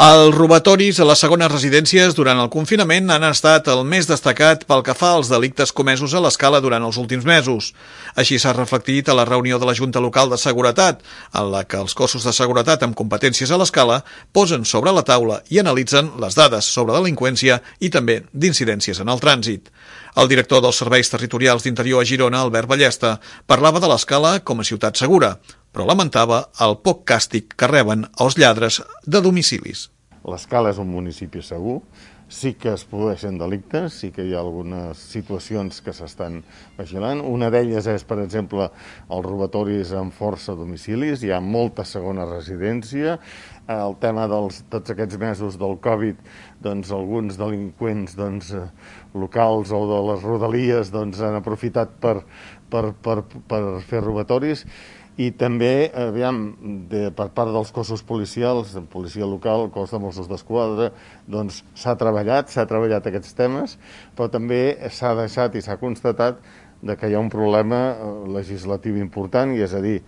Els robatoris a les segones residències durant el confinament han estat el més destacat pel que fa als delictes comesos a l'escala durant els últims mesos. Així s'ha reflectit a la reunió de la Junta Local de Seguretat, en la que els cossos de seguretat amb competències a l'escala posen sobre la taula i analitzen les dades sobre delinqüència i també d'incidències en el trànsit. El director dels Serveis Territorials d'Interior a Girona, Albert Ballesta, parlava de l'escala com a ciutat segura, però lamentava el poc càstig que reben els lladres de domicilis. L'Escala és un municipi segur, sí que es produeixen delictes, sí que hi ha algunes situacions que s'estan vigilant. Una d'elles és, per exemple, els robatoris amb força a domicilis, hi ha molta segona residència. El tema tots aquests mesos del Covid, doncs alguns delinqüents locals o de les rodalies han aprofitat per fer robatoris. I també, per part dels cossos policials, de policia local, el cos de Mossos d'Esquadra, s'ha treballat aquests temes, però també s'ha deixat i s'ha constatat que hi ha un problema legislatiu important, i és a dir,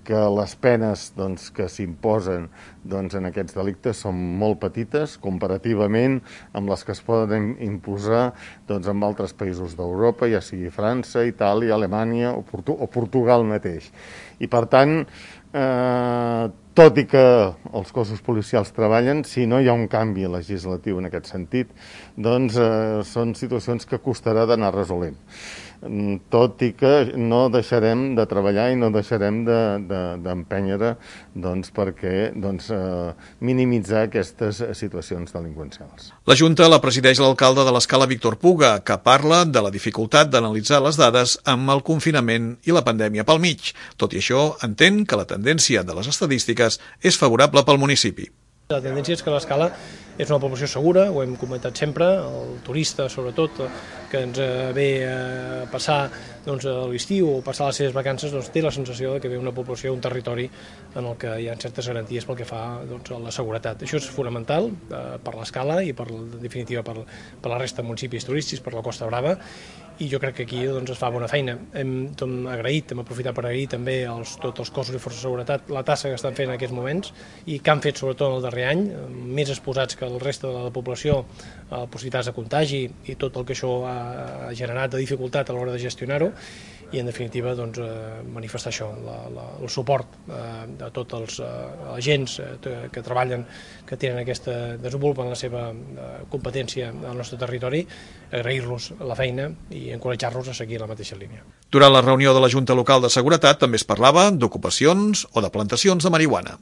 que les penes que s'imposen en aquests delictes són molt petites comparativament amb les que es poden imposar en altres països d'Europa, ja sigui França, Itàlia, Alemanya o Portugal mateix. I per tant, tot i que els cossos policials treballen, si no hi ha un canvi legislatiu en aquest sentit, són situacions que costarà d'anar resolent. Tot i que no deixarem de treballar i no deixarem d'empènyer perquè minimitzar aquestes situacions delinqüencials. La Junta la presideix l'alcalde de l'Escala, Víctor Puga, que parla de la dificultat d'analitzar les dades amb el confinament i la pandèmia pel mig. Tot i això, entén que la tendència de les estadístiques és favorable pel municipi. La tendència és que l'Escala és una població segura, ho hem comentat sempre, el turista sobretot, que ens ve a passar l'estiu o passar les seves vacances, té la sensació que ve una població, un territori en el que hi ha certes garanties pel que fa a la seguretat. Això és fonamental per l'Escala i en definitiva per la resta de municipis turístics, per la Costa Brava, i jo crec que aquí es fa bona feina. Hem aprofitat per agrair també tots els cossos i forces de seguretat la tasca que estan fent en aquests moments i que han fet sobretot en el darrer any, més exposats que el reste de la població a possibilitats de contagi i tot el que això ha generat de dificultat a l'hora de gestionar-ho, i en definitiva manifestar això, el suport a tots els agents que treballen, que desenvolupen la seva competència al nostre territori, agrair-los la feina i encoratjar-los a seguir la mateixa línia. Durant la reunió de la Junta Local de Seguretat també es parlava d'ocupacions o de plantacions de marihuana.